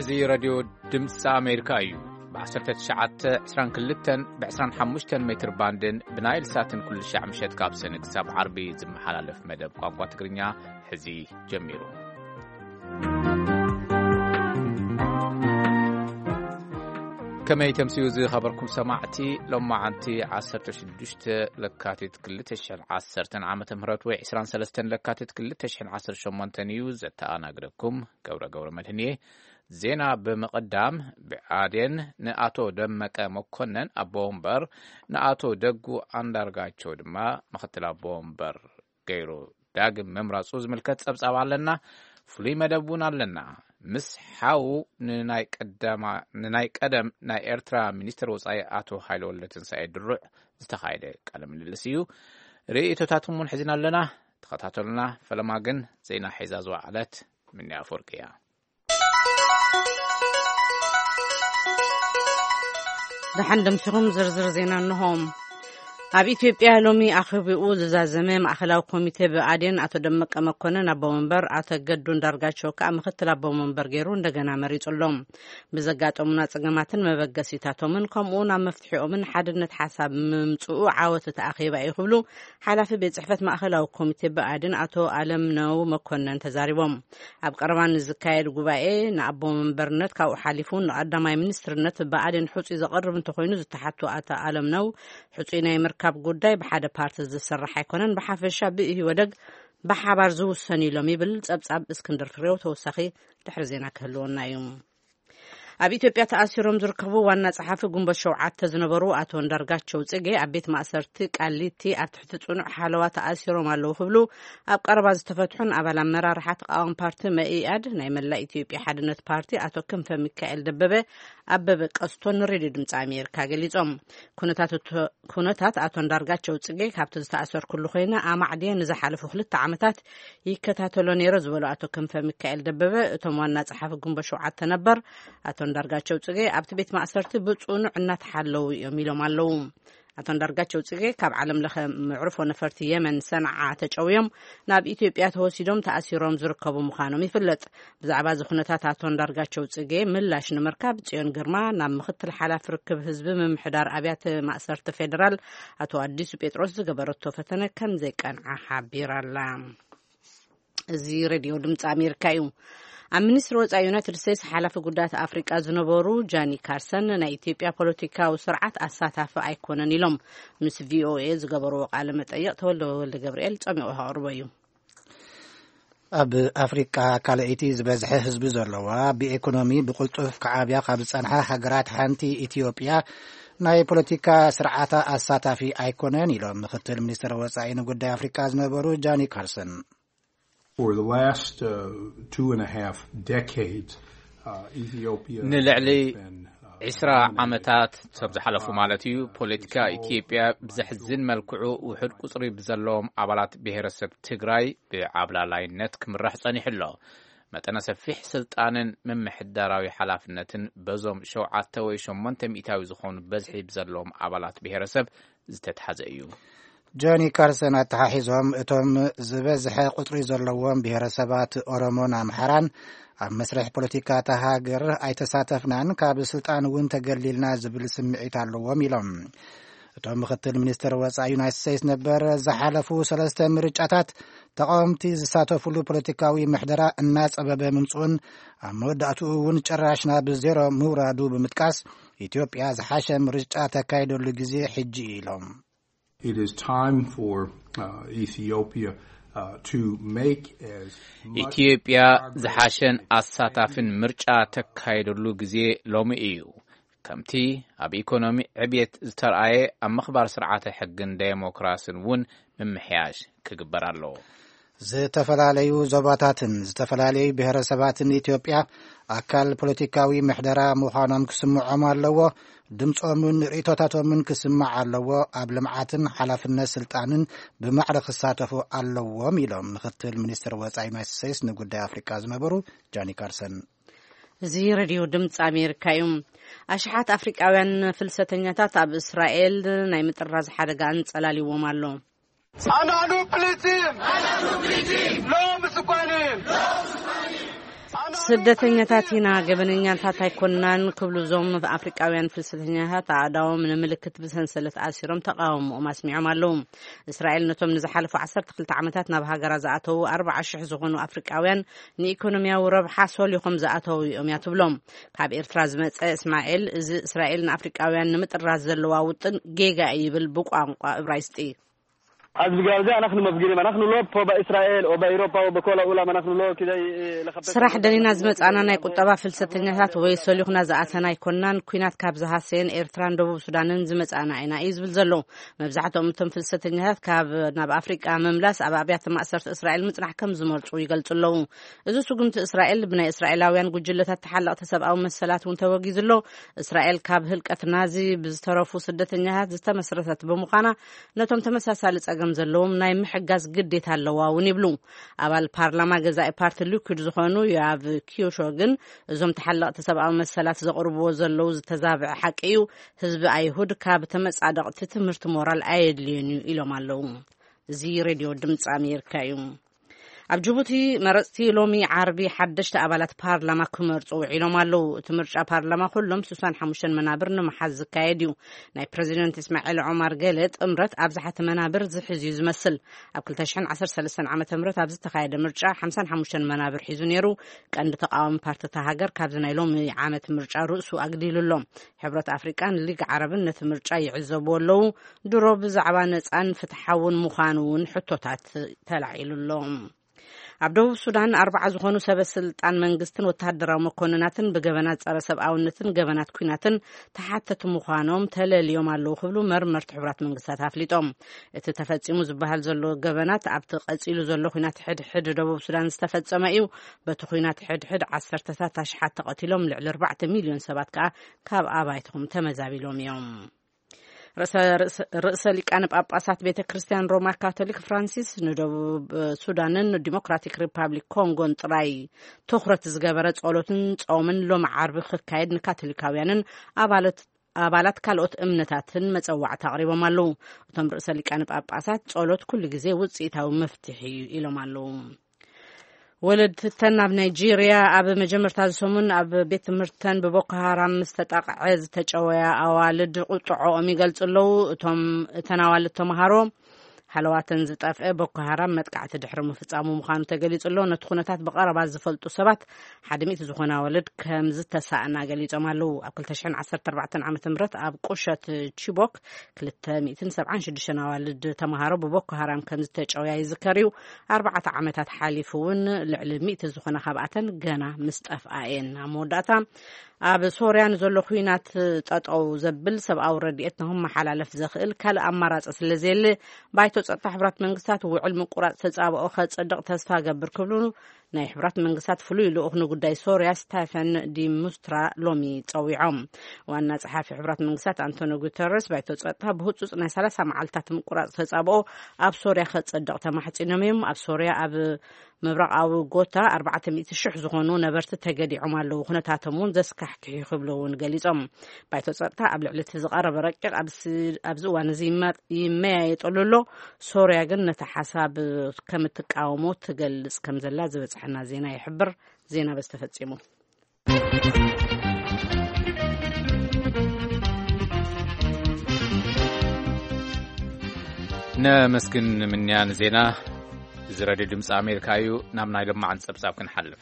እዚ ሬድዮ ድምፂ ኣሜሪካ እዩ። ብ1922 ብ25 ሜትር ባንድን ብናይል ሳትን ኩሉ ሻዕ ምሸት ካብ ሰኒ ክሳብ ዓርቢ ዝመሓላለፍ መደብ ቋንቋ ትግርኛ ሕዚ ጀሚሩ። ከመይ ተምስዩ ዝኸበርኩም ሰማዕቲ፣ ሎማዓንቲ 16 ለካቲት 2010 ዓመተ ምህረት ወይ 23 ለካቲት 2018 እዩ። ዘተኣናግደኩም ገብረ ገብረ መድህን እየ። ዜና ብምቕዳም፣ ብኣዴን ንኣቶ ደመቀ መኮነን ኣቦ ወንበር፣ ንኣቶ ደጉ ኣንዳርጋቸው ድማ ምኽትል ኣቦ ወንበር ገይሩ ዳግም ምምራጹ ዝምልከት ጸብጻብ ኣለና። ፍሉይ መደብ እውን ኣለና። ምስ ሓው ንናይ ቀደማ-፣ ንናይ ቀደም ናይ ኤርትራ ሚኒስትር ወጻኢ ኣቶ ሃይለ ወልደትንሳኤ ድሩዕ ዝተኻየደ ቃለ ምልልስ እዩ። ርእይቶታትኩም እውን ሒዝና ኣለና። ተኸታተሉና። ፈለማ ግን ዜና ሒዛ ዝወዓለት ምንያ ኣፈወርቂ እያ። ደሓን ደምሲኹም ዝርዝር ዜና እንሆ። ኣብ ኢትዮጵያ ሎሚ ኣኼባኡ ዝዛዘመ ማእኸላዊ ኮሚቴ ብኣዴን ኣቶ ደመቀ መኮነን ኣቦ መንበር፣ ኣቶ ገዱ እንዳርጋቸው ከኣ ምኽትል ኣቦ መንበር ገይሩ እንደገና መሪጹ ኣሎ። ብዘጋጠሙና ጸገማትን መበገሲታቶምን ከምኡ ናብ መፍትሒኦምን ሓድነት ሓሳብ ምምጽኡ ዓወት እቲ ኣኼባ እዩ ክብሉ ሓላፊ ቤት ጽሕፈት ማእኸላዊ ኮሚቴ ብኣዴን ኣቶ ኣለምነው መኮነን ተዛሪቦም። ኣብ ቀረባ ንዝካየድ ጉባኤ ንኣቦ መንበርነት ካብኡ ሓሊፉ ንቀዳማይ ሚኒስትርነት ብኣዴን ሕጹይ ዘቐርብ እንተኾይኑ ዝተሓቱ ኣቶ ኣለምነው፣ ሕጹይ ናይ ምርካብ ጉዳይ ብሓደ ፓርቲ ዝስራሕ ኣይኮነን፣ ብሓፈሻ ብኢህወደግ ብሓባር ዝውሰን ኢሎም ይብል ጸብጻብ እስክንድር ፍሬው። ተወሳኺ ድሕሪ ዜና ክህልወና እዩ። ኣብ ኢትዮጵያ ተኣሲሮም ዝርከቡ ዋና ጸሓፊ ግንቦት ሸውዓተ ዝነበሩ ኣቶ እንዳርጋቸው ጽጌ ኣብ ቤት ማእሰርቲ ቃሊቲ ኣብ ትሕቲ ጽኑዕ ሓለዋ ተኣሲሮም ኣለዉ ክብሉ ኣብ ቀረባ ዝተፈትሑን ኣባል ኣመራርሓ ተቃዋሚ ፓርቲ መኢኣድ ናይ መላእ ኢትዮጵያ ሓድነት ፓርቲ ኣቶ ክንፈ ሚካኤል ደበበ ኣበበ ቀስቶን ንሬድዮ ድምፂ ኣሜሪካ ገሊጾም። ኩነታት እቶ-፣ ኩነታት ኣቶ እንዳርጋቸው ጽጌ ካብቲ ዝተኣሰርኩሉ ኮይነ ኣማዕድየ ንዝሓለፉ ክልተ ዓመታት ይከታተሎ ነይረ ዝበሉ ኣቶ ክንፈ ሚካኤል ደበበ፣ እቶም ዋና ጸሓፊ ግንቦት ሸውዓተ ነበር ኣቶ እንዳርጋቸው ጽጌ ኣብቲ ቤት ማእሰርቲ ብጽኑዕ እናተሓለዉ እዮም ኢሎም ኣለዉ። ኣቶ እንዳርጋቸው ጽጌ ካብ ዓለም ለኸ መዕርፎ ነፈርቲ የመን ሰንዓ ተጨውዮም ናብ ኢትዮጵያ ተወሲዶም ተኣሲሮም ዝርከቡ ምዃኖም ይፍለጥ። ብዛዕባ እዚ ኩነታት ኣቶ እንዳርጋቸው ጽጌ ምላሽ ንምርካብ ጽዮን ግርማ ናብ ምኽትል ሓላፊ ርክብ ህዝቢ ምምሕዳር ኣብያተ ማእሰርቲ ፌደራል ኣቶ ኣዲሱ ጴጥሮስ ዝገበረቶ ፈተነ ከም ዘይቀንዓ ሓቢራ ኣላ። እዚ ሬድዮ ድምፂ ኣሜሪካ እዩ። ኣብ ሚኒስትሪ ወፃኢ ዩናይትድ ስቴትስ ሓላፊ ጉዳያት ኣፍሪቃ ዝነበሩ ጃኒ ካርሰን ናይ ኢትዮጵያ ፖለቲካዊ ስርዓት ኣሳታፊ ኣይኮነን ኢሎም። ምስ ቪኦኤ ዝገበርዎ ቃለ መጠይቕ ተወልደ ወልደ ገብርኤል ጸሚቑ ከቕርቦ እዩ። ኣብ ኣፍሪቃ ካልኣይቲ ዝበዝሐ ህዝቢ ዘለዋ፣ ብኢኮኖሚ ብቕልጡፍ ክዓብያ ካብ ዝጸንሓ ሃገራት ሓንቲ ኢትዮጵያ፣ ናይ ፖለቲካ ስርዓታ ኣሳታፊ ኣይኮነን ኢሎም ምክትል ሚኒስትር ወጻኢ ንጉዳይ ኣፍሪቃ ዝነበሩ ጃኒ ካርሰን። For the last, uh, two and a half decades, uh, Ethiopia ንልዕሊ has been, uh, ዒስራ ዓመታት ሰብ ዝሓለፉ ማለት እዩ፣ ፖለቲካ ኢትዮጵያ ብዘሕዝን መልክዑ ውሑድ ቁጽሪ ብዘለዎም ኣባላት ብሔረሰብ ትግራይ ብዓብላላይነት ክምራሕ ጸኒሑ ኣሎ። መጠነ ሰፊሕ ስልጣንን ምምሕዳራዊ ሓላፍነትን በዞም ሸውዓተ ወይ ሸሞንተ ሚእታዊ ዝኾኑ በዝሒ ብዘለዎም ኣባላት ብሔረሰብ ዝተትሓዘ እዩ። ጆኒ ካርሰን ኣተሓሒዞም፣ እቶም ዝበዝሐ ቁጽሪ ዘለዎም ብሔረሰባት ኦሮሞን ኣምሓራን ኣብ መስርሕ ፖለቲካ እታ ሃገር ኣይተሳተፍናን፣ ካብ ስልጣን እውን ተገሊልና ዝብል ስምዒት ኣለዎም ኢሎም። እቶም ምክትል ሚኒስትር ወጻኢ ዩናይትድ ስቴትስ ነበር፣ ዝሓለፉ ሰለስተ ምርጫታት ተቃወምቲ ዝሳተፉሉ ፖለቲካዊ ምሕደራ እናጸበበ ምምጽኡን ኣብ መወዳእትኡ እውን ጭራሽ ናብ ዜሮ ምውራዱ ብምጥቃስ፣ ኢትዮጵያ ዝሓሸ ምርጫ ተካይደሉ ግዜ ሕጂ እዩ ኢሎም። It is time for, uh, Ethiopia, uh, to make as much ኢትዮጵያ progress ዝሓሸን as it can ኣሳታፍን ምርጫ ተካይደሉ ግዜ ሎሚ እዩ። ከምቲ ኣብ ኢኮኖሚ ዕብየት ዝተርኣየ፣ ኣብ ምኽባር ስርዓተ ሕግን ዴሞክራስን እውን ምምሕያሽ ክግበር ኣለዎ። ዝተፈላለዩ ዞባታትን ዝተፈላለዩ ብሔረሰባትን ኢትዮጵያ ኣካል ፖለቲካዊ ምሕደራ ምዃኖም ክስምዖም ኣለዎ። ድምፆምን ርእይቶታቶምን ክስማዕ ኣለዎ። ኣብ ልምዓትን ሓላፍነት ስልጣንን ብማዕረ ክሳተፉ ኣለዎም ኢሎም ምክትል ሚኒስትር ወፃኢ ዩናይትድ ስቴትስ ንጉዳይ ኣፍሪቃ ዝነበሩ ጃኒ ካርሰን። እዚ ሬድዮ ድምፂ ኣሜሪካ እዩ። ኣሽሓት ኣፍሪቃውያን ፍልሰተኛታት ኣብ እስራኤል ናይ ምጥራዝ ሓደጋ ኣንጸላልዎም ኣሎ። אנחנו פליטים! לא מסוכנים! ስደተኛታት ኢና፣ ገበነኛታት ኣይኮንናን ክብሉ እዞም ኣፍሪቃውያን ፍልሰተኛታት ኣእዳዎም ንምልክት ብሰንሰለት ኣሲሮም ተቓውሞኦም ኣስሚዖም ኣለዉ። እስራኤል ነቶም ንዝሓለፉ ዓሰርተ ክልተ ዓመታት ናብ ሃገራ ዝኣተዉ ኣርባዓ ሽሕ ዝኾኑ ኣፍሪቃውያን ንኢኮኖሚያዊ ረብሓ ሶሊኾም ዝኣተዉ እዮም እያ ትብሎም። ካብ ኤርትራ ዝመጸ እስማኤል፣ እዚ እስራኤል ንኣፍሪቃውያን ንምጥራዝ ዘለዋ ውጥን ጌጋ እዩ ይብል ብቋንቋ እብራይስጢ። از بگاوزه نحن مفگریم، نحن لو پا به اسرائیل و به اروپا و به کل عالم نحن لو کدی لخبت. ስራሕ ደሊና ዝመጻና ናይ ቁጠባ ፍልሰተኛታት ወይ ሰሊኹና ዝኣተና ኣይኮናን። ኩናት ካብ ዝሃሰየን ኤርትራን ደቡብ ሱዳንን ዝመጻና ኢና እዩ ዝብል ዘሎ። መብዛሕትኦም እቶም ፍልሰተኛታት ካብ ናብ ኣፍሪቃ ምምላስ ኣብ ኣብያተ ማእሰርቲ እስራኤል ምጽናሕ ከም ዝመርጹ ይገልጹ ኣለዉ። እዚ ስጉምቲ እስራኤል ብናይ እስራኤላውያን ጉጅለታት ተሓለቕቲ ሰብኣዊ መሰላት እውን ተወጊዙ ኣሎ። እስራኤል ካብ ህልቀት ናዚ ብዝተረፉ ስደተኛታት ዝተመስረተት ብምዃና ነቶም ተመሳሳሊ ጸገም ዘለዎም ናይ ምሕጋዝ ግዴታ ኣለዋ እውን ይብሉ። ኣባል ፓርላማ ገዛኢ ፓርቲ ሊኩድ ዝኾኑ ዮኣቭ ኪዮሾ ግን እዞም ተሓለቕቲ ሰብኣዊ መሰላት ዘቕርብዎ ዘለዉ ዝተዛብዐ ሓቂ እዩ። ህዝቢ ኣይሁድ ካብ ተመጻደቕቲ ትምህርቲ ሞራል ኣየድልዮን እዩ ኢሎም ኣለዉ። እዚ ሬድዮ ድምፂ ኣሜሪካ እዩ። ኣብ ጅቡቲ መረፅቲ ሎሚ ዓርቢ ሓደሽቲ ኣባላት ፓርላማ ክመርፁ ውዒሎም ኣለዉ። እቲ ምርጫ ፓርላማ ኩሎም ስሳን ሓሙሽተን መናብር ንምሓዝ ዝካየድ እዩ። ናይ ፕረዚደንት እስማዒል ዑማር ገለ ጥምረት ኣብዝሓቲ መናብር ዝሕዝ እዩ ዝመስል። ኣብ ክልተ ሽሕን ዓሰርተ ሰለስተን ዓመተ ምህረት ኣብ ዝተኻየደ ምርጫ ሓምሳን ሓሙሽተን መናብር ሒዙ ነይሩ። ቀንዲ ተቃዋሚ ፓርቲ እታ ሃገር ካብዚ ናይ ሎሚ ዓመት ምርጫ ርእሱ ኣግዲሉ ኣሎ። ሕብረት ኣፍሪቃን ሊግ ዓረብን ነቲ ምርጫ ይዕዘብዎ ኣለዉ። ድሮ ብዛዕባ ነጻን ፍትሓውን ምዃኑ እውን ሕቶታት ተላዒሉ ኣሎ። ኣብ ደቡብ ሱዳን ኣርባዓ ዝኾኑ ሰበ ስልጣን መንግስትን ወተሃደራዊ መኮንናትን ብገበናት ጸረ ሰብኣውነትን ገበናት ኲናትን ተሓተቲ ምዃኖም ተለልዮም ኣለዉ ክብሉ መርመርቲ ሕቡራት መንግስታት ኣፍሊጦም። እቲ ተፈጺሙ ዝበሃል ዘሎ ገበናት ኣብቲ ቀጺሉ ዘሎ ኲናት ሕድሕድ ደቡብ ሱዳን ዝተፈጸመ እዩ። በቲ ኲናት ሕድሕድ ዓሰርተታት ኣሽሓት ተቐቲሎም፣ ልዕሊ ኣርባዕተ ሚልዮን ሰባት ከኣ ካብ ኣባይቶም ተመዛቢሎም እዮም። ርእሰ ርእሰ ርእሰ ሊቃነ ጳጳሳት ቤተ ክርስቲያን ሮማ ካቶሊክ ፍራንሲስ ንደቡብ ሱዳንን ዲሞክራቲክ ሪፓብሊክ ኮንጎን ጥራይ ትኹረት ዝገበረ ጸሎትን ጾምን ሎሚ ዓርቢ ክካየድ ንካቶሊካውያንን ኣባላት ኣባላት ካልኦት እምነታትን መጸዋዕታ ኣቕሪቦም ኣለዉ። እቶም ርእሰ ሊቃነ ጳጳሳት ጸሎት ኩሉ ግዜ ውጽኢታዊ መፍትሒ እዩ ኢሎም ኣለዉ። ወለድተን ኣብ ናይጄርያ ኣብ መጀመርታ ዝሰሙን ኣብ ቤት ትምህርተን ብቦኮ ሃራም ምስ ተጠቕዐ ዝተጨወያ ኣዋልድ ቁጥዖኦም ይገልጹ ኣለዉ። እቶም እተን ኣዋልድ ተምሃሮ ሃለዋተን ዝጠፍአ ቦኮ ሃራም መጥቃዕቲ ድሕሪ ምፍጻሙ ምዃኑ ተገሊጹ ኣሎ። ነቲ ኩነታት ብቐረባ ዝፈልጡ ሰባት ሓደ ሚእቲ ዝኾና ኣዋልድ ከም ዝተሳእና ገሊጾም ኣለዉ። ኣብ ክልተ ሽሕን ዓሰርተ ኣርባዕተን ዓመተ ምህረት ኣብ ቁሸት ቺቦክ ክልተ ሚእትን ሰብዓን ሽዱሽተን ኣዋልድ ተምሃሮ ብቦኮ ሃራም ከም ዝተጨውያ ይዝከር እዩ። ኣርባዕተ ዓመታት ሓሊፉ እውን ልዕሊ ሚእቲ ዝኾና ካብኣተን ገና ምስ ጠፍኣ እየን። ኣብ መወዳእታ ኣብ ሶርያ ንዘሎ ኲናት ጠጠው ዘብል ሰብኣዊ ረድኤት ንክመሓላለፍ ዘኽእል ካልእ ኣማራጺ ስለ ዘየለ ባይቶ ጸጥታ ሕቡራት መንግስታት ውዕል ምቁራጽ ተጻብኦ ከጸድቕ ተስፋ ገብር ክብሉ ናይ ሕቡራት መንግስታት ፍሉይ ልኡኽ ንጉዳይ ሶርያ ስታፈን ዲ ሙስትራ ሎሚ ጸዊዖም። ዋና ጸሓፊ ሕቡራት መንግስታት ኣንቶኒ ጉተረስ ባይቶ ጸጥታ ብህጹጽ ናይ ሰላሳ መዓልታት ምቁራጽ ተጻብኦ ኣብ ሶርያ ከጸድቕ ተማሕጺኖም እዮም። ኣብ ሶርያ ኣብ ምብራቓዊ ጎታ ኣርባዕተ ሚእቲ ሽሕ ዝኾኑ ነበርቲ ተገዲዖም ኣለዉ። ኩነታቶም እውን ዘስካሕክሕ እዩ ክብሉ እውን ገሊጾም። ባይቶ ጸጥታ ኣብ ልዕሊ እቲ ዝቐረበ ረቂቕ ኣብዚ ኣብዚ እዋን እዚ ይማ- ይመያየጠሉ ኣሎ። ሶርያ ግን ነቲ ሓሳብ ከም እትቃወሞ ትገልጽ ከም ዘላ ዝበጽሐና ዜና ይሕብር። ዜና በዚ ተፈጺሙ። ነመስግን ምንያን ዜና። እዚ ሬድዮ ድምፂ ኣሜሪካ እዩ። ናብ ናይ ለማዓን ፀብፃብ ክንሓልፍ።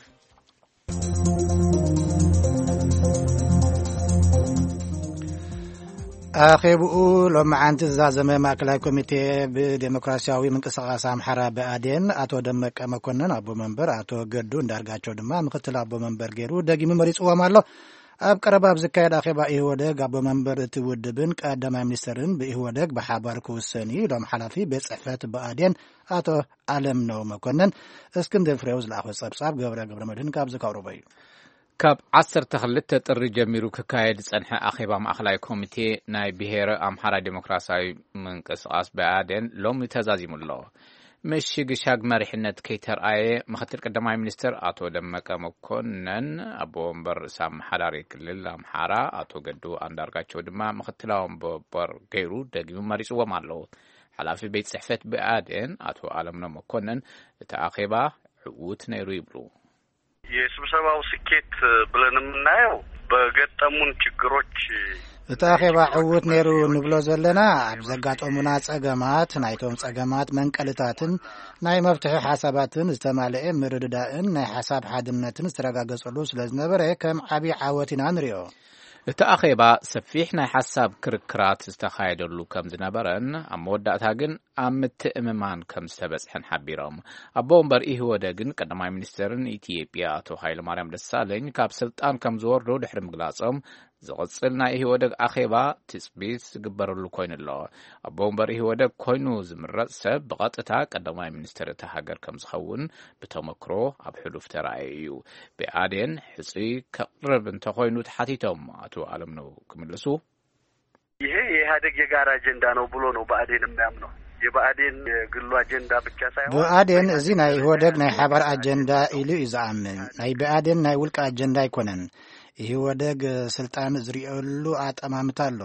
ኣኼብኡ ሎማዓንቲ ዝዛዘመ ማእከላይ ኮሚቴ ብዴሞክራሲያዊ ምንቅስቃስ ኣምሓራ ብኣዴን ኣቶ ደመቀ መኮንን ኣቦ መንበር፣ ኣቶ ገዱ እንዳርጋቸው ድማ ምክትል ኣቦ መንበር ገይሩ ደጊሙ መሪጽዎም ኣሎ። ኣብ ቀረባ ኣብ ዝካየድ ኣኼባ ኢህወደግ ኣቦ መንበር እቲ ውድብን ቀዳማይ ሚኒስትርን ብኢህወደግ ብሓባር ክውሰን እዩ ኢሎም ሓላፊ ቤት ጽሕፈት ብኣዴን ኣቶ ኣለምነው መኮንን። እስክንድር ፍሬው ዝለኣኾ ጸብጻብ ገብረ ገብረ መድህን ካብ ዝካውርቦ እዩ። ካብ ዓሰርተ ክልተ ጥሪ ጀሚሩ ክካየድ ዝጸንሐ ኣኼባ ማእኸላይ ኮሚቴ ናይ ብሄረ ኣምሓራ ዴሞክራሲያዊ ምንቅስቓስ ብኣዴን ሎሚ ተዛዚሙ ኣሎ። ምሽግሻግ መሪሕነት ከይተርኣየ ምክትል ቀዳማይ ሚኒስትር ኣቶ ደመቀ መኮንን፣ ኣቦ ወንበር ርእሰ ኣመሓዳሪ ክልል ኣምሓራ ኣቶ ገዱ ኣንዳርጋቸው ድማ ምክትላዊ ወንበር ገይሩ ደጊሙ መሪጽዎም ኣሎ። ሓላፊ ቤት ጽሕፈት ብኣዴን ኣቶ ኣለምነው መኮንን እቲ ኣኼባ ዕዉት ነይሩ ይብሉ። የስብሰባው ስኬት ብለን የምናየው በገጠሙን ችግሮች እቲ ኣኼባ ዕዉት ነይሩ ንብሎ ዘለና፣ ኣብ ዘጋጠሙና ጸገማት፣ ናይቶም ጸገማት መንቀልታትን ናይ መፍትሒ ሓሳባትን ዝተማልኤ ምርድዳእን ናይ ሓሳብ ሓድነትን ዝተረጋገጸሉ ስለ ዝነበረ ከም ዓቢ ዓወት ኢና ንሪኦ። እቲ ኣኼባ ሰፊሕ ናይ ሓሳብ ክርክራት ዝተኻየደሉ ከም ዝነበረን ኣብ መወዳእታ ግን ኣብ ምትእምማን ከም ዝተበጽሐን ሓቢሮም። ኣቦ ወንበር ኢህወደግን ቀዳማይ ሚኒስተርን ኢትዮጵያ ኣቶ ሃይለማርያም ደሳለኝ ካብ ስልጣን ከም ዝወርዱ ድሕሪ ምግላጾም፣ ዝቕጽል ናይ ኢህወደግ ኣኼባ ትጽቢት ዝግበረሉ ኮይኑ ኣሎ። ኣቦ ወንበር ኢህወደግ ኮይኑ ዝምረጽ ሰብ ብቐጥታ ቀዳማይ ሚኒስተር እታ ሃገር ከም ዝኸውን ብተመክሮ ኣብ ሕሉፍ ተራእየ እዩ። ብኣዴን ሕጹይ ከቕርብ እንተኾይኑ ተሓቲቶም ኣቶ ኣለምነው ክምልሱ፣ ይሄ የኢህአዴግ የጋራ አጀንዳ ነው ብሎ ነው ብአዴን የሚያምነው። የብአዴን የግሉ አጀንዳ ብቻ ሳይሆን ብኣዴን እዚ ናይ ኢህወደግ ናይ ሓባር ኣጀንዳ ኢሉ እዩ ዝኣምን። ናይ ብኣዴን ናይ ውልቂ ኣጀንዳ ኣይኮነን። ኢህወደግ ስልጣን ዝርእየሉ ኣጠማምታ ኣሎ።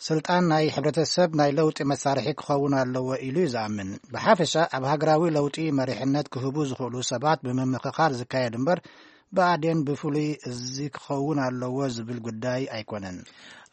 ስልጣን ናይ ሕብረተሰብ ናይ ለውጢ መሳርሒ ክኸውን ኣለዎ ኢሉ እዩ ዝኣምን። ብሓፈሻ ኣብ ሃገራዊ ለውጢ መሪሕነት ክህቡ ዝኽእሉ ሰባት ብምምኽኻር ዝካየድ እምበር ብኣዴን ብፍሉይ እዚ ክኸውን ኣለዎ ዝብል ጉዳይ ኣይኮነን።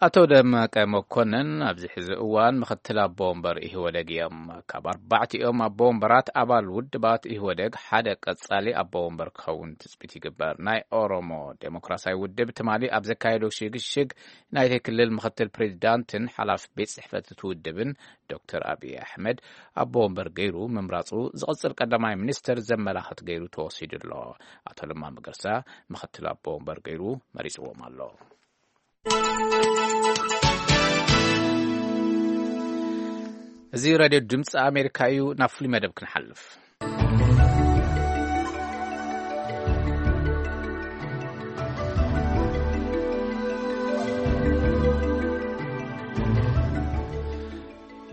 ኣቶ ደመቀ መኮንን ኣብዚ ሕዚ እዋን ምኽትል ኣቦ ወንበር ኢህወደግ እዮም። ካብ ኣርባዕቲኦም ኣቦ ወንበራት ኣባል ውድባት ኢህወደግ ሓደ ቀጻሊ ኣቦ ወንበር ክኸውን ትጽቢት ይግበር። ናይ ኦሮሞ ዴሞክራሲያዊ ውድብ ትማሊ ኣብ ዘካየዶ ሽግሽግ ናይቲ ክልል ምኽትል ፕሬዚዳንትን ሓላፊ ቤት ጽሕፈት እቲ ውድብን ዶክተር ኣብይ ኣሕመድ ኣቦ ወንበር ገይሩ ምምራጹ ዝቕጽል ቀዳማይ ሚኒስተር ዘመላኽት ገይሩ ተወሲዱ ኣሎ። ኣቶ ለማ መገርሳ ምኽትል ኣቦ ወንበር ገይሩ መሪጽዎም ኣሎ። እዚ ሬድዮ ድምፂ ኣሜሪካ እዩ። ናብ ፍሉይ መደብ ክንሓልፍ።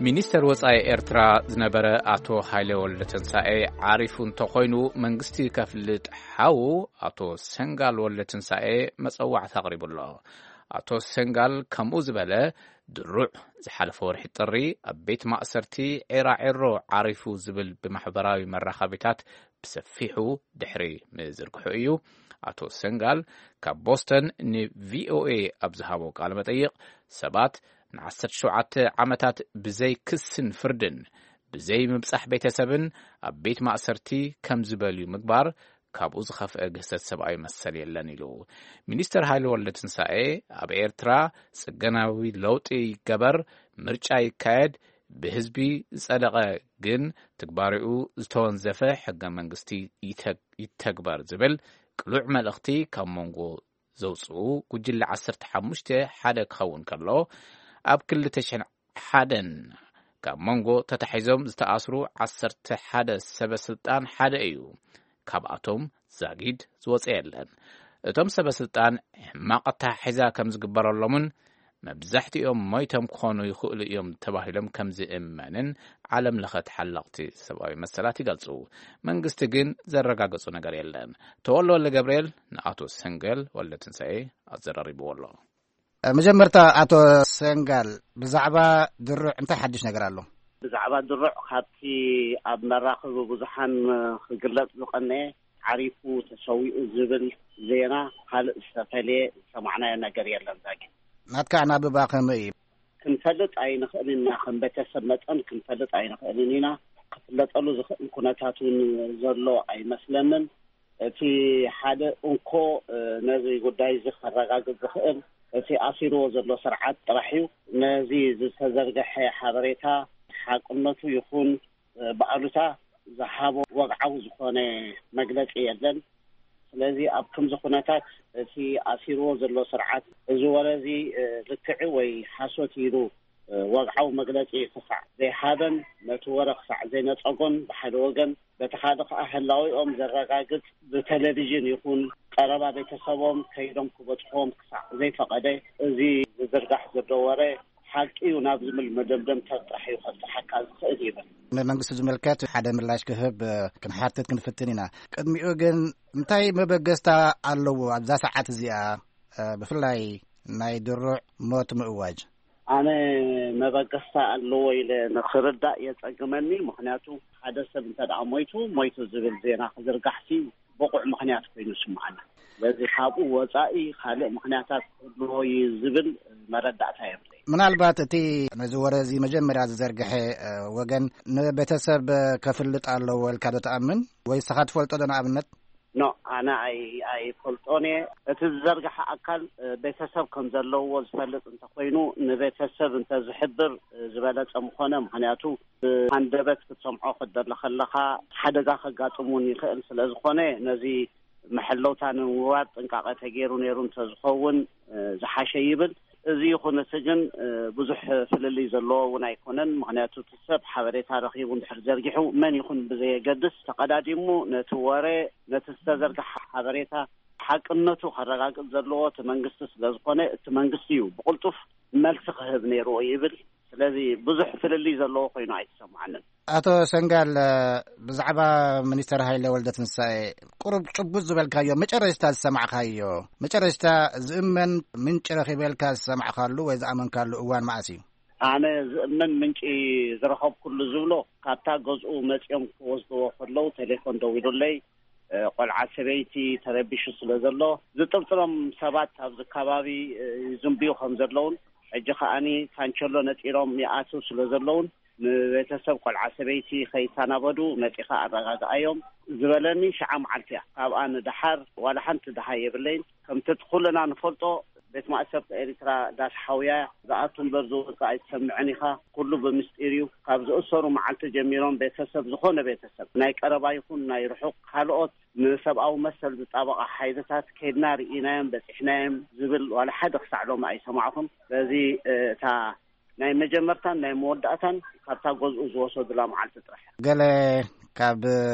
ሚኒስተር ወጻኢ ኤርትራ ዝነበረ ኣቶ ሃይለ ወልደትንሳኤ ዓሪፉ እንተኾይኑ መንግስቲ ከፍልጥ ሓው ኣቶ ሰንጋል ወልደትንሳኤ መጸዋዕታ ኣቕሪቡ ኣሎ። ኣቶ ሰንጋል ከምኡ ዝበለ ድሩዕ ዝሓለፈ ወርሒ ጥሪ ኣብ ቤት ማእሰርቲ ዒራዒሮ ዓሪፉ ዝብል ብማሕበራዊ መራኸቢታት ብሰፊሑ ድሕሪ ምዝርግሑ እዩ። ኣቶ ሰንጋል ካብ ቦስተን ንቪኦኤ ኣብ ዝሃቦ ቃለ መጠይቕ ሰባት ንዓሰርተ ሸውዓተ ዓመታት ብዘይ ክስን ፍርድን ብዘይ ምብጻሕ ቤተሰብን ኣብ ቤት ማእሰርቲ ከም ዝበልዩ ምግባር ካብኡ ዝኸፍአ ግህሰት ሰብኣዊ መሰል የለን ኢሉ። ሚኒስተር ሃይለ ወልደትንሳኤ ኣብ ኤርትራ ጽገናዊ ለውጢ ይገበር፣ ምርጫ ይካየድ፣ ብህዝቢ ዝጸደቐ ግን ትግባሬኡ ዝተወንዘፈ ሕገ መንግስቲ ይተ-፣ ይተግበር ዝብል ቅሉዕ መልእኽቲ ካብ መንጎ ዘውጽኡ ጉጅለ ዓሰርተ ሓሙሽተ ሓደ ክኸውን ከሎ፣ ኣብ ክልተ ሽሕን ሓደን ካብ መንጎ ተታሒዞም ዝተኣስሩ ዓሰርተ ሓደ ሰበ ስልጣን ሓደ እዩ። ካብኣቶም ዛጊድ ዝወጸ የለን። እቶም ሰበ ስልጣን ሕማቕ ኣተሓሒዛ ከም ዝግበረሎምን መብዛሕትኦም ሞይቶም ክኾኑ ይኽእሉ እዮም ተባሂሎም ከም ዝእመንን ዓለም ለኸ ተሓለቕቲ ሰብኣዊ መሰላት ይገልጹ። መንግስቲ ግን ዘረጋገጹ ነገር የለን። ተወልደ ወልደ ገብርኤል ንኣቶ ሰንገል ወልደ ትንሳኤ ኣዘራሪብዎ ኣሎ። መጀመርታ ኣቶ ሰንጋል፣ ብዛዕባ ድሩዕ እንታይ ሓድሽ ነገር ኣሎ? ብዛዕባ ድሩዕ ካብቲ ኣብ መራኸቢ ብዙሓን ክግለጽ ዝቐነየ ዓሪፉ ተሰዊኡ ዝብል ዜና ካልእ ዝተፈልየ ዝሰማዕናዮ ነገር የለን። ዛጊ ናትካ ኣናብባ ከመይ እዩ? ክንፈልጥ ኣይንኽእልን ኢና። ከም ቤተሰብ መጠን ክንፈልጥ ኣይንኽእልን ኢና። ክፍለጠሉ ዝኽእል ኩነታት እውን ዘሎ ኣይመስለንን። እቲ ሓደ እንኮ፣ እ፣ ነዚ ጉዳይ እዚ ከረጋግጽ ዝኽእል እቲ ኣሲርዎ ዘሎ ስርዓት ጥራሕ እዩ። ነዚ ዝተዘርገሐ ሓበሬታ ሓቅነቱ ይኹን፣ እ፣ ብኣሉታ ዝሃቦ ወግዓዊ ዝኾነ መግለጺ የለን። ስለዚ ኣብ ከምዚ ኩነታት እቲ ኣሲርዎ ዘሎ ስርዓት እዚ ወረ እዚ፣ እ፣ ልክዕ ወይ ሓሶት ኢሉ፣ እ፣ ወግዓዊ መግለጺ ክሳዕ ዘይሃበን ነቲ ወረ ክሳዕ ዘይነጸጎን ብሓደ ወገን፣ በቲ ካልእ ከኣ ህላዌኦም ዘረጋግጽ ብቴሌቪዥን ይኹን ቀረባ ቤተሰቦም ከይዶም ክበጽሕዎም ክሳዕ ዘይፈቐደ፣ እዚ ዝዝርጋሕ ዘሎ ወረ ሓቂ እዩ ናብ ዝብል መደምደምታ ጥራሕ እዩ ከብጽሓካ ዝኽእል ይብል። ንመንግስቲ ዝምልከት ሓደ ምላሽ ክህብ፣ እ፣ ክንሓትት ክንፍትን ኢና። ቅድሚኡ ግን እንታይ መበገስታ ኣለዎ ኣብዛ ሰዓት እዚኣ፣ እ፣ ብፍላይ ናይ ድሩዕ ሞት ምእዋጅ? ኣነ መበገስታ ኣለዎ ኢለ ንኽርዳእ የጸግመኒ። ምኽንያቱ ሓደ ሰብ እንተ ደኣ ሞይቱ፣ ሞይቱ ዝብል ዜና ክዝርጋሕሲ ብቑዕ ምኽንያት ኮይኑ ይስምዓና። ስለዚ ካብኡ ወጻኢ ካልእ ምኽንያታት ክህልዎ እዩ ዝብል መረዳእታ የብለይ። ምናልባት እቲ ነዚ ወረ እዚ መጀመርያ ዝዘርግሐ፣ እ፣ ወገን ንቤተሰብ ከፍልጥ ኣለዎ ኢልካ ዶ ትኣምን? ወይ ንስኻ ትፈልጦ ዶ ንኣብነት? ኖ፣ ኣነ ኣይ-፣ ኣይፈልጦን እየ። እቲ ዝዘርግሐ ኣካል፣ እ፣ ቤተሰብ ከም ዘለዎ ዝፈልጥ እንተኾይኑ፣ ንቤተሰብ እንተዝሕብር፣ እ፣ ዝበለጸ ምኾነ። ምኽንያቱ ብሃንደበት ክትሰምዖ ክትደሊ ከለኻ ሓደጋ ከጋጥም እውን ይኽእል። ስለ ዝኾነ ነዚ መሐለውታ ንምግባር ጥንቃቐ ተገይሩ ነይሩ እንተዝኸውን፣ እ፣ ዝሓሸ ይብል። እዚ ይኹን እቲ ግን፣ እ፣ ብዙሕ ፍልልይ ዘለዎ እውን ኣይኮነን። ምኽንያቱ እቲ ሰብ ሓበሬታ ረኺቡ እንድሕር ዘርጊሑ መን ይኹን ብዘየገድስ ተቐዳዲሙ ነቲ ወረ፣ ነቲ ዝተዘርግሐ ሓበሬታ ሓቅነቱ ከረጋግጽ ዘለዎ እቲ መንግስቲ ስለ ዝኾነ እቲ መንግስቲ እዩ ብቕልጡፍ መልሲ ክህብ ነይርዎ ይብል። ስለዚ ብዙሕ ፍልልይ ዘለዎ ኮይኑ ኣይተሰምዓንን። ኣቶ ሰንጋል፣ ብዛዕባ ሚኒስተር ሃይለ ወልደ ትንሳኤ ቁሩብ ጭቡጥ ዝበልካዮ፣ መጨረሽታ ዝሰማዕካዮ፣ መጨረሽታ ዝእመን ምንጪ ረኺበ ኢልካ ዝሰማዕካሉ ወይ ዝኣመንካሉ እዋን መዓስ እዩ? ኣነ ዝእመን ምንጪ ዝረኸብኩሉ ዝብሎ፣ ካብታ ገዝኡ መጺኦም ክወስድዎ ከለዉ ቴሌፎን ደዊሉለይ፣ እ፣ ቆልዓ ሰበይቲ ተረቢሹ ስለ ዘሎ፣ ዝጥርጥሮም ሰባት ኣብዚ ከባቢ፣ እ፣ ይዝንብዩ ከም ዘለዉን፣ ሕጂ ከኣኒ ካንቸሎ ነጢሮም ይኣትው ስለ ዘለዉን፣ ንቤተሰብ ቆልዓ ሰበይቲ ከይሰናበዱ መጺኻ ኣረጋግኣዮም ዝበለኒ ሽዓ መዓልቲ እያ። ካብኣ ንደሓር ዋላ ሓንቲ ደሃይ የብለይን። ከምቲ እቲ ኩልና ንፈልጦ፣ ቤት ማእሰርቲ ኤርትራ ዳስ ሓውያ፣ ዝኣቱ እምበር ዝወጽእ ኣይትሰምዕን ኢኻ። ኩሉ ብምስጢር እዩ። ካብ ዝእሰሩ መዓልቲ ጀሚሮም ቤተሰብ፣ ዝኾነ ቤተሰብ፣ ናይ ቀረባ ይኹን ናይ ርሑቕ፣ ካልኦት ንሰብኣዊ መሰል ዝጣበቓ ሓይልታት ከይድና ርኢናዮም በጺሕናዮም ዝብል ዋላ ሓደ ክሳዕ ሎሚ ኣይሰማዕኹን። ስለዚ፣ እ፣ እታ ናይ መጀመርታን ናይ መወዳእታን ካብታ ገዝኡ ዝወሰዱላ መዓልቲ ጥራሕ እያ። ገለ ካብ፣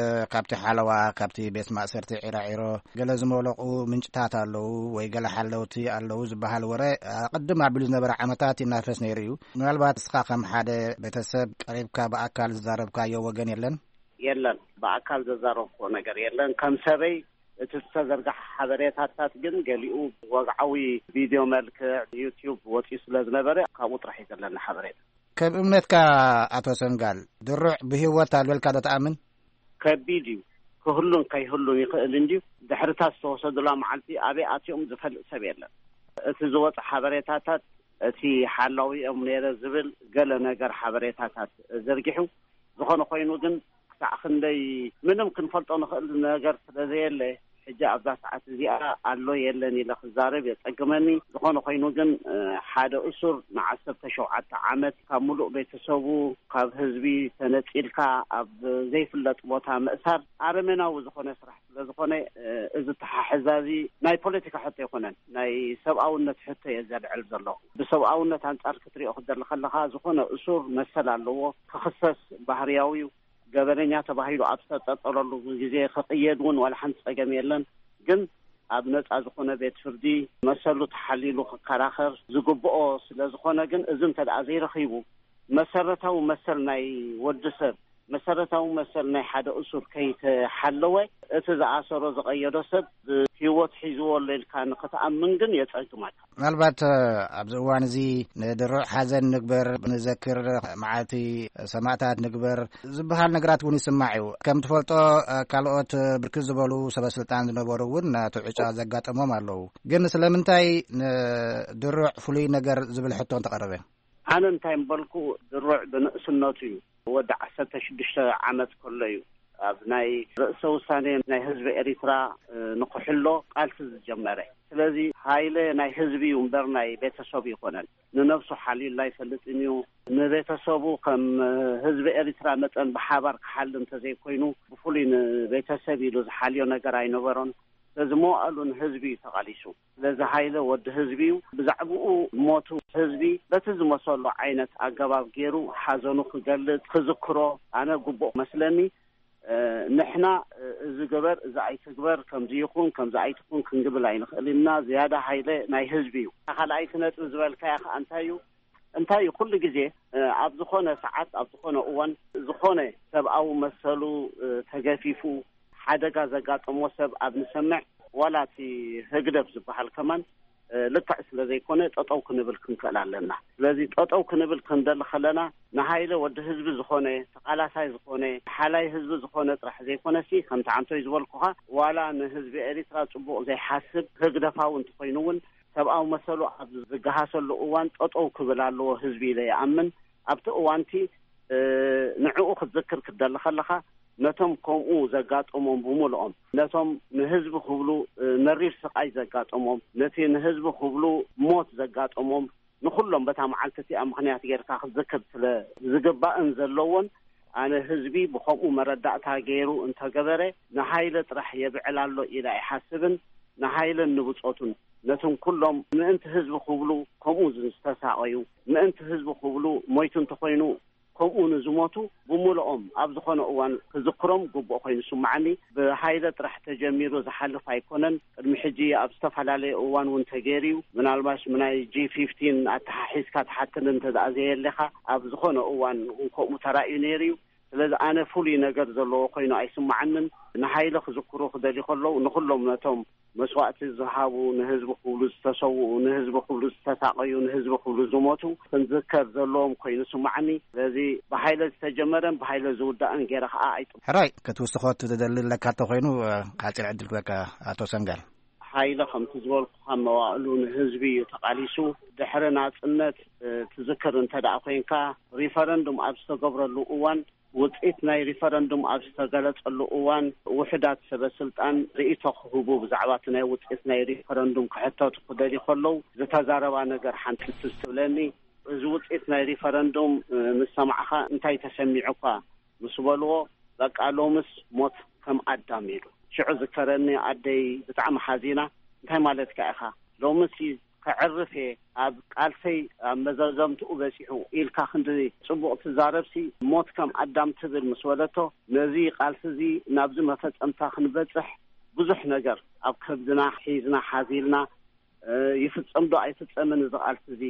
ካብቲ ሓለዋ፣ ካብቲ ቤት ማእሰርቲ ዒራዒሮ ገለ ዝመለቑ ምንጭታት ኣለዉ ወይ ገለ ሓለውቲ ኣለዉ ዝበሃል ወረ ኣቐድም ኣቢሉ ዝነበረ ዓመታት ይናፈስ ነይሩ እዩ። ምናልባት እስኻ ከም ሓደ ቤተሰብ ቀሪብካ ብኣካል ዝዛረብካዮ ወገን የለን? የለን፣ ብኣካል ዘዛረብኩዎ ነገር የለን። ከም ሰበይ እቲ ዝተዘርግሐ ሓበሬታታት ግን ገሊኡ ወግዓዊ ቪድዮ መልክዕ ዩትዩብ ወፂኡ ስለ ዝነበረ ካብኡ ጥራሕ እዩ ዘለኒ ሓበሬታ። ከም እምነትካ ኣቶ ሰንጋል፣ ድሩዕ ብህይወት ኣሎ ኢልካ ዶ ትኣምን? ከቢድ እዩ። ክህሉን ከይህሉን ይኽእል እንድዩ። ድሕርታት ዝተወሰዱላ መዓልቲ ኣበይ ኣትዮም ዝፈልጥ ሰብ የለን። እቲ ዝወፀ ሓበሬታታት፣ እቲ ሓላዊኦም ነይረ ዝብል ገለ ነገር ሓበሬታታት ዘርጊሑ፣ ዝኾነ ኮይኑ ግን ክሳዕ ክንደይ ምንም ክንፈልጦ ንኽእል ነገር ስለ ዘየለ፣ ሕጂ ኣብዛ ሰዓት እዚኣ ኣሎ የለን ኢለ ክዛረብ የጸግመኒ። ዝኾነ ኮይኑ ግን፣ እ፣ ሓደ እሱር ንዓሰርተ ሸውዓተ ዓመት ካብ ምሉእ ቤተሰቡ፣ ካብ ህዝቢ ተነጺልካ ኣብ ዘይፍለጥ ቦታ ምእሳር ኣረሜናዊ ዝኾነ ስራሕ ስለ ዝኾነ፣ እ፣ እዚ ተሓሕዛ እዚ ናይ ፖለቲካ ሕቶ ኣይኮነን፣ ናይ ሰብኣውነት ሕቶ እየ ዘልዕል ዘለኹ። ብሰብኣውነት ኣንጻር ክትሪኦ ክትደሊ ከለኻ፣ ዝኾነ እሱር መሰል ኣለዎ ክኽሰስ፣ ባህርያዊ እዩ። ገበነኛ ተባሂሉ ኣብ ዝተጠርጠረሉ ግዜ ክቕየድ እውን ዋላ ሓንቲ ጸገም የለን። ግን ኣብ ነጻ ዝኾነ ቤት ፍርዲ መሰሉ ተሓሊሉ ክከራኸር ዝግብኦ ስለ ዝኾነ፣ ግን እዚ እንተ ደኣ ዘይረኺቡ፣ መሰረታዊ መሰል ናይ ወዲ ሰብ፣ መሰረታዊ መሰል ናይ ሓደ እሱር ከይተሓለወ፣ እቲ ዝኣሰሮ ዝቐየዶ ሰብ ብህይወት ሒዝዎ ኣሎ ኢልካ ንኽትኣምን ግን የጸግመካ። ምናልባት፣ እ፣ ኣብዚ እዋን እዚ ንድሩዕ ሓዘን ንግበር፣ ንዘክር፣ መዓልቲ ሰማእታት ንግበር ዝበሃል ነገራት እውን ይስማዕ እዩ። ከም ትፈልጦ፣ እ፣ ካልኦት ብርክት ዝበሉ ሰበ ስልጣን ዝነበሩ እውን ናቱ ዕጫ ዘጋጠሞም ኣለዉ። ግን ስለምንታይ ንድሩዕ ፍሉይ ነገር ዝብል ሕቶ እንተቐረበ? ኣነ እንታይ ምበልኩ፣ ድሩዕ ብንእስነቱ እዩ፣ ወዲ ዓሰርተ ሽዱሽተ ዓመት ከሎ እዩ ኣብ ናይ ርእሰ ውሳኔ ናይ ህዝቢ ኤሪትራ፣ እ፣ ንክሕሎ ቃልሲ ዝጀመረ። ስለዚ ሃይለ ናይ ህዝቢ እዩ እምበር ናይ ቤተሰቡ ይኮነን። ንነብሱ ሓሊሉ ኣይፈልጥን እዩ። ንቤተሰቡ ከም፣ እ፣ ህዝቢ ኤሪትራ መጠን ብሓባር ክሓሊ እንተዘይኮይኑ፣ ብፍሉይ ንቤተሰብ ኢሉ ዝሓልዮ ነገር ኣይነበሮን። ስለዚ መዋእሉ ንህዝቢ እዩ ተቓሊሱ። ስለዚ ሃይለ ወዲ ህዝቢ እዩ። ብዛዕባኡ ሞቱ ህዝቢ በቲ ዝመሰሎ ዓይነት ኣገባብ ገይሩ ሓዘኑ ክገልጽ፣ ክዝክሮ ኣነ ግቡእ መስለኒ። እ፣ ንሕና፣ እ፣ እዚ ግበር፣ እዚ ኣይትግበር፣ ከምዚ ይኹን፣ ከምዚ ኣይትኹን ክንግብል ኣይንኽእል ኢና። ዝያዳ ሃይለ ናይ ህዝቢ እዩ። እታ ካልኣይቲ ነጥቢ ዝበልካያ ከኣ እንታይ እዩ? እንታይ እዩ? ኩሉ ግዜ፣ እ፣ ኣብ ዝኾነ ሰዓት፣ ኣብ ዝኾነ እዋን፣ ዝኾነ ሰብኣዊ መሰሉ፣ እ፣ ተገፊፉ፣ ሓደጋ ዘጋጠሞ ሰብ ኣብ ንሰምዕ፣ ዋላ እቲ ህግደፍ ዝበሃል ከማን፣ እ፣ ልክዕ ስለ ዘይኮነ ጠጠው ክንብል ክንክእል ኣለና። ስለዚ ጠጠው ክንብል ክንደሊ ከለና ንሃይለ ወዲ ህዝቢ ዝኾነ፣ ተቓላሳይ ዝኾነ፣ ሓላይ ህዝቢ ዝኾነ ጥራሕ ዘይኮነሲ፣ ከምቲ ዓንቶይ ዝበልኩኻ፣ ዋላ ንህዝቢ ኤሪትራ ጽቡቕ ዘይሓስብ ህግደፋዊ እንተኾይኑ እውን ሰብኣዊ መሰሉ ኣብ ዝገሃሰሉ እዋን ጠጠው ክብል ኣለዎ ህዝቢ ኢለ ይኣምን። ኣብቲ እዋንቲ ንዕኡ ክትዝክር ክትደሊ ከለኻ፣ ነቶም ከምኡ ዘጋጠሞም ብምልኦም፣ ነቶም ንህዝቢ ክብሉ መሪር ስቓይ ዘጋጠሞም፣ ነቲ ንህዝቢ ክብሉ ሞት ዘጋጠሞም፣ ንኹሎም በታ መዓልቲ እቲኣ ምኽንያት ጌርካ ክትዝክር ስለ ዝግባእን ዘለዎን፣ ኣነ ህዝቢ ብኸምኡ መረዳእታ ገይሩ እንተገበረ፣ ንሃይለ ጥራሕ የብዕል ኣሎ ኢለ ኣይሓስብን። ንሃይለን ንብጾቱን፣ ነቶም ኩሎም ምእንቲ ህዝቢ ክብሉ ከምኡ ዝተሳቐዩ፣ ምእንቲ ህዝቢ ክብሉ ሞይቱ እንተኾይኑ ከምኡ ንዝሞቱ ብምልኦም ኣብ ዝኾነ እዋን ክዝክሮም ግቡእ ኮይኑ ይስምዓኒ። ብሃይለ ጥራሕ ተጀሚሩ ዝሓልፍ ኣይኮነን። ቅድሚ ሕጂ ኣብ ዝተፈላለየ እዋን እውን ተገይሩ እዩ። ምናልባሽ ብናይ ጂ ፊፍቲን ኣተሓሒዝካ ትሓተኒ እንተ ደኣ ዘየለኻ፣ ኣብ ዝኾነ እዋን እውን ከምኡ ተራእዩ ነይሩ እዩ። ስለዚ ኣነ ፍሉይ ነገር ዘለዎ ኮይኑ ኣይስምዓንን። ንሃይለ ክዝክሩ ክደልዩ ከለዉ ንኹሎም ነቶም መስዋእቲ ዝሃቡ፣ ንህዝቢ ክብሉ ዝተሰውኡ፣ ንህዝቢ ክብሉ ዝተሳቐዩ፣ ንህዝቢ ክብሉ ዝሞቱ ክንዝከር ዘለዎም ኮይኑ ይስምዓኒ። ስለዚ ብሃይለ ዝተጀመረን ብሃይለ ዝውዳእን ገይረ ከዓ ኣይጥም። ሕራይ ክትውስኾ ትደሊ ኣለካ እንተኾይኑ፣ ሓፂር ዕድል ክበካ ኣቶ ሰንጋል። ሃይለ ከምቲ ዝበልኩኻ መዋእሉ ንህዝቢ እዩ ተቓሊሱ። ድሕሪ ናጽነት ትዝክር እንተ ደኣ ኮይንካ፣ ሪፈረንዱም ኣብ ዝተገብረሉ እዋን፣ ውጽኢት ናይ ሪፈረንዱም ኣብ ዝተገለጸሉ እዋን፣ ውሑዳት ሰበ ስልጣን ርእይቶ ክህቡ ብዛዕባ እቲ ናይ ውጽኢት ናይ ሪፈረንዱም ክሕተቱ ክደልዩ ከለዉ ዝተዛረባ ነገር ሓንቲ ትዝ ትብለኒ። እዚ ውጽኢት ናይ ሪፈረንዱም ምስ ሰማዕኻ እንታይ ተሰሚዑካ ምስ በልዎ፣ በቃ ሎምስ ሞት ከም ኣዳም ኢሉ። ሽዑ ዝከረኒ ኣደይ ብጣዕሚ ሓዚና፣ እንታይ ማለትካ ኢኻ? ሎምስ ከዕርፍ እየ፣ ኣብ ቃልሰይ ኣብ መዘዘምትኡ በጺሑ ኢልካ ክንዲ ጽቡቕ ትዛረብሲ፣ ሞት ከም ኣዳም ትብል ምስ በለቶ፣ ነዚ ቃልሲ እዚ ናብዚ መፈጸምታ ክንበጽሕ ብዙሕ ነገር ኣብ ከብድና ሒዝና ሓዚልና፣ ይፍጸም ዶ ኣይፍጸምን እዚ ቃልሲ እዚ፣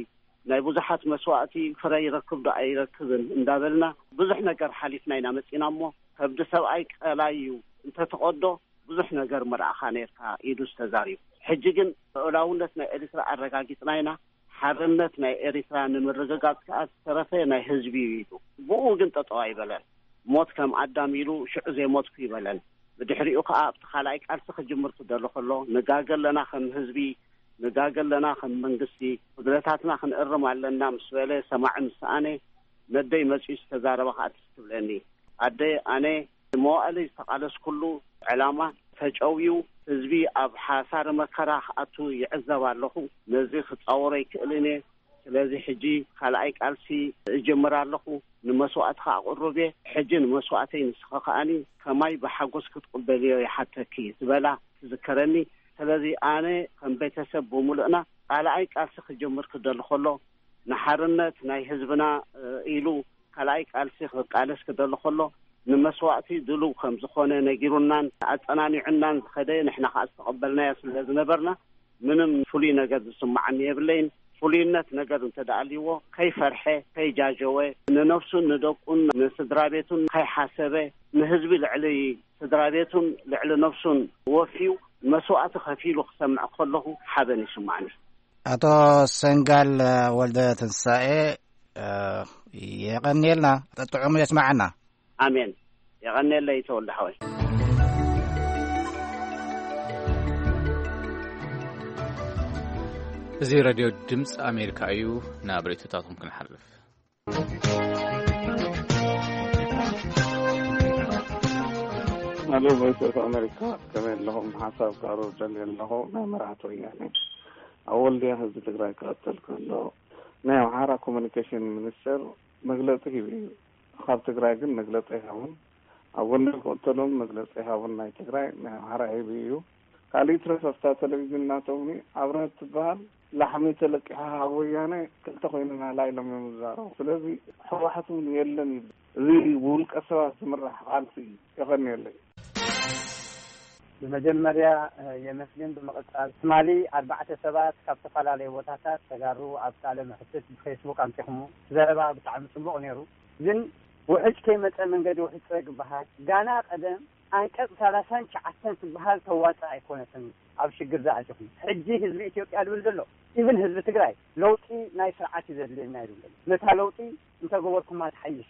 ናይ ብዙሓት መስዋእቲ ፍረ ይረክብ ዶ ኣይረክብን እንዳበልና ብዙሕ ነገር ሓሊፍና ኢና መጺና እሞ፣ ከብዲ ሰብኣይ ቀላይ እዩ፣ እንተትቐዶ ብዙሕ ነገር ምረኣኻ ነርካ ኢሉ ዝተዛሪቡ። ሕጂ ግን ልኡላውነት ናይ ኤሪትራ ኣረጋጊጽና ኢና፣ ሓርነት ናይ ኤሪትራ ንምርግጋጽ ከኣ ዝተረፈ ናይ ህዝቢ እዩ ኢሉ። ብኡ ግን ጠጠው ኣይበለን። ሞት ከም ኣዳም ኢሉ ሽዑ ዘይሞትኩ ይበለን። ብድሕሪኡ ከኣ ኣብቲ ካልኣይ ቃልሲ ክጅምር ክደሎ ከሎ፣ ንጋገ ኣለና ከም ህዝቢ፣ ንጋገ ኣለና ከም መንግስቲ፣ ጉድለታትና ክንእርም ኣለና ምስ በለ፣ ሰማዒ ምስ ሰኣነ፣ ነደይ መጺኡ ዝተዛረበ ከኣ ትዝ ትብለኒ። ኣደ፣ ኣነ መዋእለይ ዝተቓለስኩሉ ዕላማ ተጨውዩ፣ ህዝቢ ኣብ ሓሳሪ መከራ ክኣቱ ይዕዘብ ኣለኹ። ነዚ ክጻወሮ ኣይክእልን እየ። ስለዚ ሕጂ ካልኣይ ቃልሲ እጅምር ኣለኹ። ንመስዋእትኻ ኣቕርብ እየ። ሕጂ ንመስዋእተይ ንስኺ ከኣኒ ከማይ ብሓጎስ ክትቕበልዮ ይሓተኪ ዝበላ ትዝከረኒ። ስለዚ ኣነ ከም ቤተሰብ ብምሉእና ካልኣይ ቃልሲ ክጅምር ክደሊ ከሎ፣ ንሓርነት ናይ ህዝብና ኢሉ ካልኣይ ቃልሲ ክቃለስ ክደሊ ከሎ፣ ንመስዋእቲ ድሉው ከም ዝኾነ ነጊሩናን ኣጸናኒዑናን ዝኸደ፣ ንሕና ከኣ ዝተቐበልናዮ ስለ ዝነበርና፣ ምንም ፍሉይ ነገር ዝስምዓኒ የብለይን። ፍሉይነት ነገር እንተ ደኣ ኣልይዎ፣ ከይፈርሐ፣ ከይጃጀወ፣ ንነፍሱን ንደቁን ንስድራ ቤቱን ከይሓሰበ፣ ንህዝቢ ልዕሊ ስድራ ቤቱን ልዕሊ ነፍሱን ወፍዩ መስዋእቲ ከፊሉ ክሰምዕ ከለኹ ሓበን ይስምዓኒ። ኣቶ ሰንጋል ወልደ ትንሳኤ፣ የቐንየልና። ጥዑም የስምዓና። ኣሜን። የቐንየለይ ተወልደ ሓወይ። እዚ ሬድዮ ድምፂ ኣሜሪካ እዩ። ናብ ርእይቶታቶም ክንሓልፍ። ሄሎ፣ ቮይስ ኦፍ ኣሜሪካ፣ ከመይ ኣለኹም? ሓሳብ ክቕርብ ደልየ ኣለኹ። ናይ መራሕቲ ወያነ ኣብ ወልድያ ህዝቢ ትግራይ ክቐተል ከሎ፣ ናይ ኣምሓራ ኮሙኒኬሽን ሚኒስተር መግለጺ ሂቡ እዩ። ካብ ትግራይ ግን መግለጺ ኣይሃቡን። ኣብ ጎንደር ክቕተሎም መግለጺ ኣይሃቡን። ናይ ትግራይ፣ ናይ ኣምሓራ ሂቡ እዩ። ካልእ ይትረፍ፣ ኣብታ ቴሌቪዥን ናቶም ኣብረሀት ትበሃል ላሕሚ ተለቂሓ ካብ ወያነ ክልተ ኮይንና ላ ኢሎም እዮም ዝዛረቡ። ስለዚ ህወሓት እውን የለን ይብል። እዚ ብውልቀ ሰባት ዝምራሕ ቃልሲ እዩ። የቐንየለይ። ብመጀመርያ የመስግን። ብምቕጻል ትማሊ ኣርባዕተ ሰባት ካብ ዝተፈላለዩ ቦታታት ተጋሩ ኣብ ቃለ መሕትት ብፌስቡክ ኣምጺኹሞ። ዘረባ ብጣዕሚ ጽቡቕ ነይሩ። ግን ውሕጅ ከይመጸ መንገዲ ውሕጅ ጽረግ ይበሃል። ጋና ቀደም ኣንቀጽ ሰላሳን ትሽዓተን ትበሃል ተዋጽእ ኣይኮነትን ኣብ ሽግር ዝኣተኹም። ሕጂ ህዝቢ ኢትዮጵያ ዝብል ዘሎ፣ ኢቭን ህዝቢ ትግራይ፣ ለውጢ ናይ ስርዓት እዩ ዘድልየና ይብል ዘሎ። ነታ ለውጢ እንተገበርኩማ ትሓይሽ፣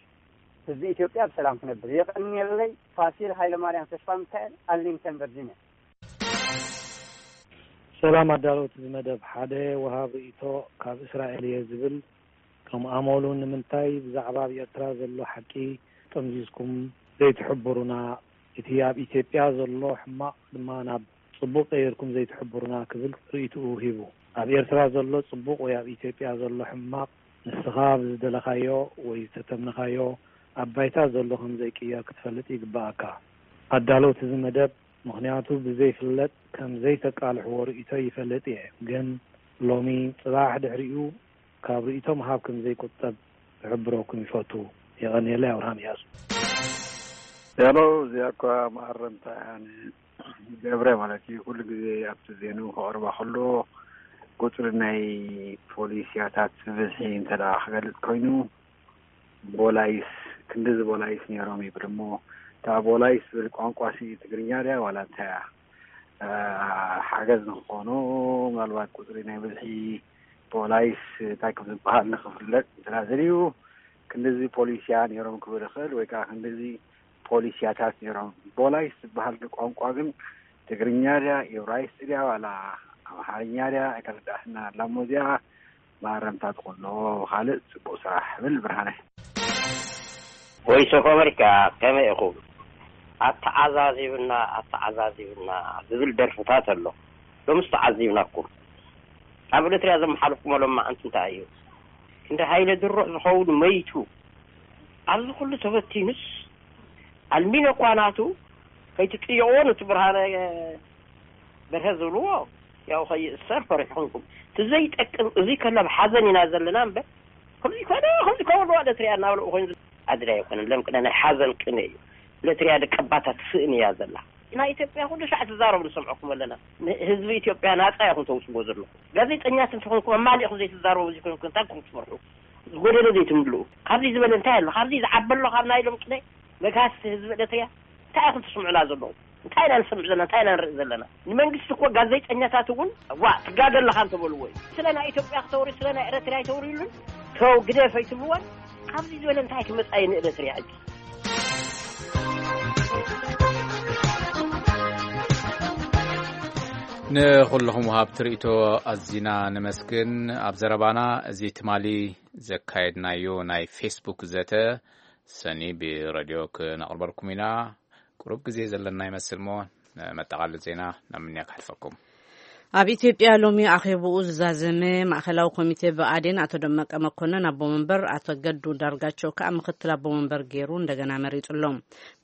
ህዝቢ ኢትዮጵያ ብሰላም ክነብር። የቐንየለይ። ፋሲል ሃይለማርያም ተስፋ ሚካኤል፣ ኣርሊንግተን ቨርጂኒያ። ሰላም ኣዳለውቲ እዚ መደብ። ሓደ ወሃብ ርእይቶ ካብ እስራኤል እየ ዝብል። ከም ኣመሉ ንምንታይ ብዛዕባ ኣብ ኤርትራ ዘሎ ሓቂ ጠምዚዝኩም ዘይትሕብሩና? እቲ ኣብ ኢትዮጵያ ዘሎ ሕማቕ ድማ ናብ ጽቡቕ ቀይርኩም ዘይትሕብሩና? ክብል ርእይትኡ ሂቡ። ኣብ ኤርትራ ዘሎ ጽቡቕ ወይ ኣብ ኢትዮጵያ ዘሎ ሕማቕ ንስኻ ብዝደለኻዮ ወይ ዝተተምነኻዮ ኣብ ባይታ ዘሎ ከም ዘይቅየር ክትፈልጥ ይግበኣካ። ኣዳለውቲ እዚ መደብ ምኽንያቱ ብዘይፍለጥ ከም ዘይተቃልሕዎ ርእይቶ ይፈልጥ እየ፣ ግን ሎሚ ጽባሕ ድሕሪኡ ካብ ርእይቶ ምሃብ ከም ዘይቁጠብ ክሕብረኩም ይፈቱ። የቐንየለይ። ኣብርሃም እያሱ። ሄሎ፣ እዚኣ እኳ መኣረምታ እያ ንገብረ ማለት እዩ። ኩሉ ግዜ ኣብቲ ዜንኡ ከቕርባ ከሎ ቁጽሪ ናይ ፖሊሲያታት ብዝሒ እንተ ደኣ ክገልጽ ኮይኑ፣ ቦላይስ ክንድዚ ቦላይስ ነይሮም ይብል እሞ፣ እታ ቦላይስ ዝብል ቋንቋ ሲ ትግርኛ ድያ ዋላ እንታይ እያ? ሓገዝ ንክኾኑ ምናልባት ቁፅሪ ናይ ብዝሒ ፖላይስ እንታይ ከም ዝበሃል ንክፍለጥ እንትና ዘድልዩ ክንድዚ ፖሊስያ ነይሮም ክብል ይኽእል ወይ ከዓ ክንድዚ ፖሊስያታት ነይሮም። ፖላይስ ዝበሃል ቋንቋ ግን ትግርኛ ድያ፣ ኢብራይስጥ ድያ ዋላ ኣምሓርኛ ድያ ኣይተረዳእትና ኣላ እሞ እዚኣ ማረምታ ትኾሎ። ካልእ ፅቡቅ ስራሕ ብል ብርሃነ። ቮይስ ኦፍ ኣመሪካ ከመይ ኢኹም? ኣተዓዛዚብና ኣተዓዛዚብና ዝብል ደርፍታት ኣሎ። ሎምስ ተዓዚብናኩም። ኣብ ኤርትርያ ዘመሓለፍኩሞ ሎማዓንቲ እንታይ እዩ? ክንዲ ሃይለ ድሩዕ ዝኸውን መይቱ ኣብዚ ኩሉ ተበቲኑስ ኣልሚኖ እኳ ናቱ ከይትጥየቕዎ ነቲ ብርሃነ በርሀ ዝብልዎ ያው ከይእሰር ፈሪሕኹምኩም። እቲ ዘይጠቅም እዚ ከሎ ኣብ ሓዘን ኢና ዘለና እምበር ከምዚ ኮነ ከምዚ ከበልዋ ለትሪያ እናበልኡ ኮይኑ ኣድላይ ኣይኮነን። ለም ቅነ ናይ ሓዘን ቅነ እዩ። ለትሪያ ደቀባታ ትስእን እያ ዘላ። ናይ ኢትዮጵያ ኩሉ ሻዕ ትዛረቡ ንሰምዐኩም ኣለና። ህዝቢ ኢትዮጵያ ናፃ ኢኹም ተውፅዎ ዘለኹም። ጋዜጠኛት እንተኾንኩም ኣማሊእኹም ዘይትዛረቡ እዚ ኮንኩም እንታይ ኮም ትመርሑ? ዝጎደለ ዘይትምልኡ። ካብዚ ዝበለ እንታይ ኣሎ? ካብዚ ዝዓበሎ ካብ ናይ ሎም ቅነ መጋስቲ ህዝቢ ኤርትርያ እንታይ ኢኹም ትስምዑና ዘለኹም? እንታይ ኢና ንሰምዕ ዘለና? እንታይ ኢና ንርኢ ዘለና? ንመንግስቲ እኮ ጋዜጠኛታት እውን ዋ ትጋገ ኣለኻ እንተበልዎ እዩ። ስለ ናይ ኢትዮጵያ ክተውሪ ስለ ናይ ኤርትርያ ኣይተውርዩሉን። ተው ግደፍ ኣይትብልዎን። ካብዚ ዝበለ እንታይ ክመጻ እዩ ንኤርትርያ ሕጂ? ንኹልኹም ወሃብቲ ርእይቶ ኣዚና ነመስግን። ኣብ ዘረባና እዚ ትማሊ ዘካየድናዮ ናይ ፌስቡክ ዘተ ሰኒ ብረድዮ ክነቕርበልኩም ኢና። ቁሩብ ግዜ ዘለና ይመስል እሞ ንመጠቓለሊ ዜና ናብ ምንያ ከሕልፈኩም። ኣብ ኢትዮጵያ ሎሚ ኣኼብኡ ዝዛዘመ ማእኸላዊ ኮሚቴ ብኣዴን ኣቶ ደመቀ መኮነን ኣቦ መንበር፣ ኣቶ ገዱ ዳርጋቸው ከኣ ምክትል ኣቦ መንበር ገይሩ እንደገና መሪጹ ኣሎ።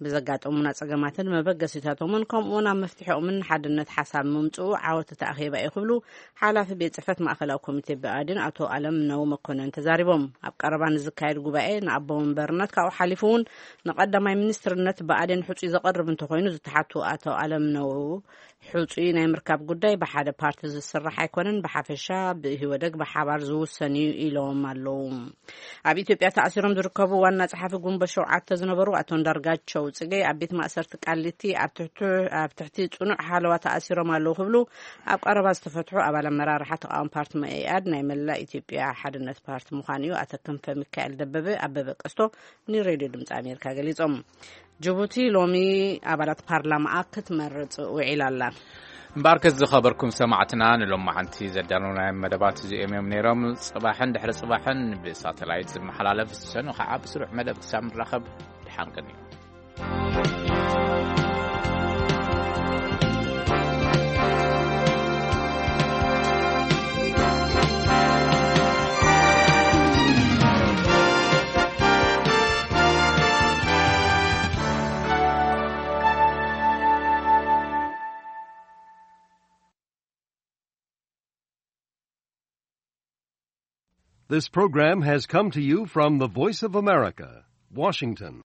ብዘጋጠሙና ጸገማትን መበገሲታቶምን ከምኡውን ኣብ መፍትሒኦምን ሓድነት ሓሳብ ምምጽኡ ዓወት እቲ ኣኼባ እዩ ክብሉ ሓላፊ ቤት ጽሕፈት ማእኸላዊ ኮሚቴ ብኣዴን ኣቶ ኣለምነው መኮነን ተዛሪቦም። ኣብ ቀረባ ንዝካየድ ጉባኤ ንኣቦ መንበርነት ካብኡ ሓሊፉ እውን ንቀዳማይ ሚኒስትርነት ብኣዴን ሕጹይ ዘቐርብ እንተኾይኑ ዝተሓቱ ኣቶ ኣለምነው ሕጹይ ናይ ምርካብ ጉዳይ ብሓደ ፓርቲ ዝስራሕ ኣይኮነን፣ ብሓፈሻ ብኢህወደግ ብሓባር ዝውሰን እዩ ኢሎም ኣለዉ። ኣብ ኢትዮጵያ ተኣሲሮም ዝርከቡ ዋና ጸሓፊ ጉንበት ሸውዓተ ዝነበሩ ኣቶ እንዳርጋቸው ጽጌ ኣብ ቤት ማእሰርቲ ቃሊቲ ኣብ ትሕቲ ኣብ ትሕቲ ጽኑዕ ሓለዋ ተኣሲሮም ኣለዉ ክብሉ ኣብ ቀረባ ዝተፈትሑ ኣባል ኣመራርሓ ተቃዋሚ ፓርቲ መኢኣድ ናይ መላእ ኢትዮጵያ ሓድነት ፓርቲ ምዃኑ እዩ ኣቶ ክንፈ ሚካኤል ደበበ ኣበበ ቀስቶ ንሬድዮ ድምፂ ኣሜሪካ ገሊጾም። ጅቡቲ ሎሚ ኣባላት ፓርላማኣ ክትመርጽ ውዒላ ኣላ። እምበኣርከስ ዝኸበርኩም ሰማዕትና ንሎማዓንቲ ዘዳለውናዮም መደባት እዚኦም እዮም ነይሮም። ጽባሕን ድሕሪ ጽባሕን ብሳተላይት ዝመሓላለፍ፣ ሰኑ ኸዓ ብስሩዕ መደብ ክሳብ ንራኸብ ደሓን ቅኒ። This program has come to you from the Voice of America, Washington.